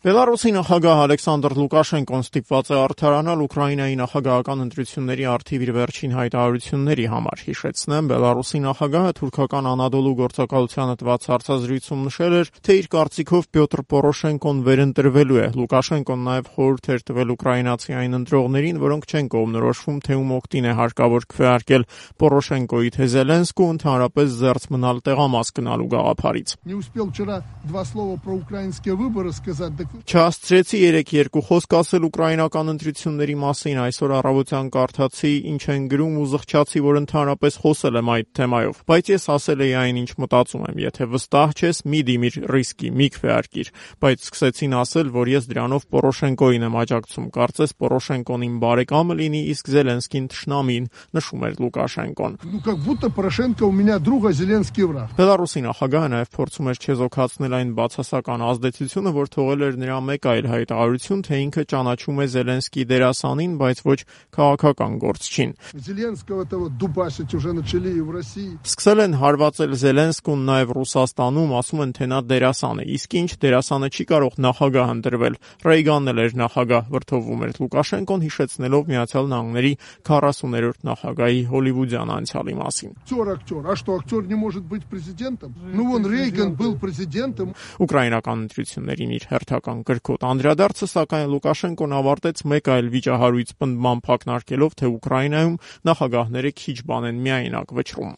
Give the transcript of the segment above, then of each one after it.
Բելարուսի նախագահ Ալեքսանդր Լուկաշենկոն ստիպված է արդարանալ Ուկրաինայի նախագահական ընտրությունների առթիվ իր վերջին հայտարարությունների համար։ Հիշեցնեմ, Բելարուսի նախագահը թուրքական Անադոլու գործակալությանը տված հարցազրույցում նշել էր, թե իր կարծիքով Պյոտր Պորոշենկոն վերընտրվելու է։ Լուկաշենկոն նաև խորհուրդ էր տվել ուկրաինացի այն ընտրողներին, որոնք չեն կողմնորոշվում, թե ում օգտին է հարկավոր քվեարկել Պորոշենկոյի թե Զելենսկու, ընդհանրապես զերծ մնալ տեղամաս գնալու գաղափարից։ Չհասցրեցի երեկ երկու խոսք ասել ուկրաինական ընտրությունների մասին, այսօր առավոտյան կարդացի, ինչ են գրում ու զղջացի, որ ընդհանրապես խոսել եմ այդ թեմայով, բայց ես ասել էի այն, ինչ մտածում եմ, եթե վստահ չես, մի դիմիր ռիսկի, մի քվեարկիր, բայց սկսեցին ասել, որ ես դրանով Պորոշենկոյին եմ աջակցում, կարծես Պորոշենկոն իմ բարեկամը լինի, իսկ Զելենսկին թշնամին, նշում էր Լուկաշենկոն։ Բելարուսի նախագահը նաև փորձում էր չեզոքացնել այն բացասական ազդեցությունը, որ թողել էր նրա մեկ այլ հայտարարություն, թե ինքը ճանաչում է Զելենսկի դերասանին, բայց ոչ քաղաքական գործչին։ Սկսել են հարվածել Զելենսկուն նաև Ռուսաստանում, ասում են, թե նա դերասան է, իսկ ինչ դերասանը չի կարող նախագահ ընտրվել։ Ռեյգանն էլ էր նախագահ, վրդովում էր Լուկաշենկոն, հիշեցնելով Միացյալ Նահանգների 40-րդ նախագահի հոլիվուդյան անցյալի մասին։ Ուկրաինական ընտրություններին իր հերթական կրկոտ անդրադարձը, սակայն Լուկաշենկոն ավարտեց մեկ այլ վիճահարույց պնդման փակնարկելով, թե Ուկրաինայում նախագահները քիչ բան են միայնակ վճռում։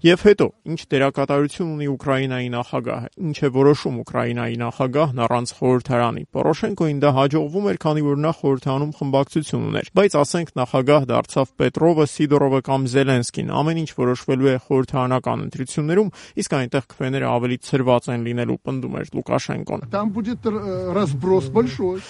Եվ հետո, ինչ դերակատարություն ունի Ուկրաինայի նախագահը, ինչ է որոշում Ուկրաինայի նախագահն առանց խորհրդարանի։ Պորոշենկոին դա հաջողվում էր, քանի որ նա խորհրդարանում խմբակցություն ուներ, բայց ասենք նախագահ դարձավ Պետրովը, Սիդորովը կամ Զելենսկին, ամեն ինչ որոշվելու է խորհրդարանական ընտրություններում, իսկ այնտեղ քվեները ավելի ցրված են լինելու, պնդում էր Լուկաշենկոն։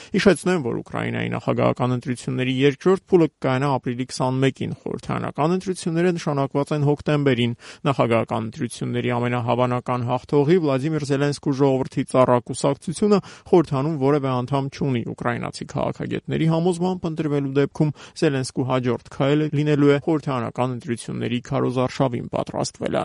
Հիշեցնեմ, որ Ուկրաինայի նախագահական ընտրությունների երկրորդ փուլը կկայանա ապրիլի 21-ին, խորհրդարանական ընտրությունները նշանակված են հոկտեմբերին։ Նախագահական ընտրությունների ամենահավանական հաղթողի Վլադիմիր Զելենսկու ժողովրդի ծառա կուսակցությունը խորհրդանում որևէ անդամ չունի։ Ուկրաինացի քաղաքագետների համոզմամբ ընտրվելու դեպքում Զելենսկու հաջորդ քայլը լինելու է խորհրդարանական ընտրությունների քարոզարշավին պատրաստվելը։